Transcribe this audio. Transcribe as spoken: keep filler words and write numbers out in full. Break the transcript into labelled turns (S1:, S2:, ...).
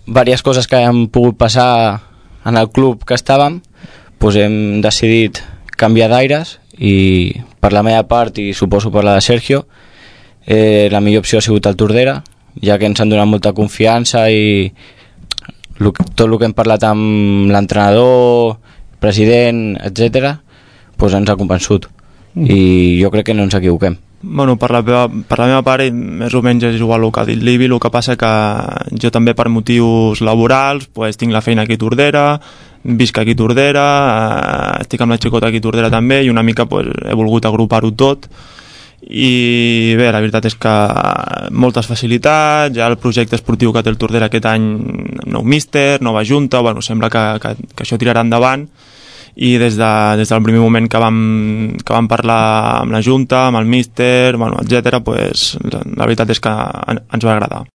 S1: diverses coses que han pogut passar en el club que estàvem, doncs hem decidit canviar d'aires, i per la meva part, i suposo per la de Sergio, eh, la millor opció ha sigut el Tordera, ja que ens han donat molta confiança i tot el que hem parlat amb l'entrenador, president, etcètera, doncs ens ha convençut, i jo crec que no ens equivoquem.
S2: Bueno, per la, meva, per la meva part, més o menys és igual el que ha dit l'Ibi, el que passa que jo també per motius laborals pues, tinc la feina aquí a Tordera, visc aquí a Tordera, eh, estic amb la xicota aquí a Tordera també, i una mica pues, he volgut agrupar-ho tot, i bé, la veritat és que moltes facilitats, ja el projecte esportiu que té el Tordera aquest any, nou míster, nova junta, bueno, sembla que, que, que això tirarà endavant, i des, de, des del primer moment que vam, que vam parlar amb la junta, amb el míster, bueno, etcètera, pues, la veritat és que ens va agradar.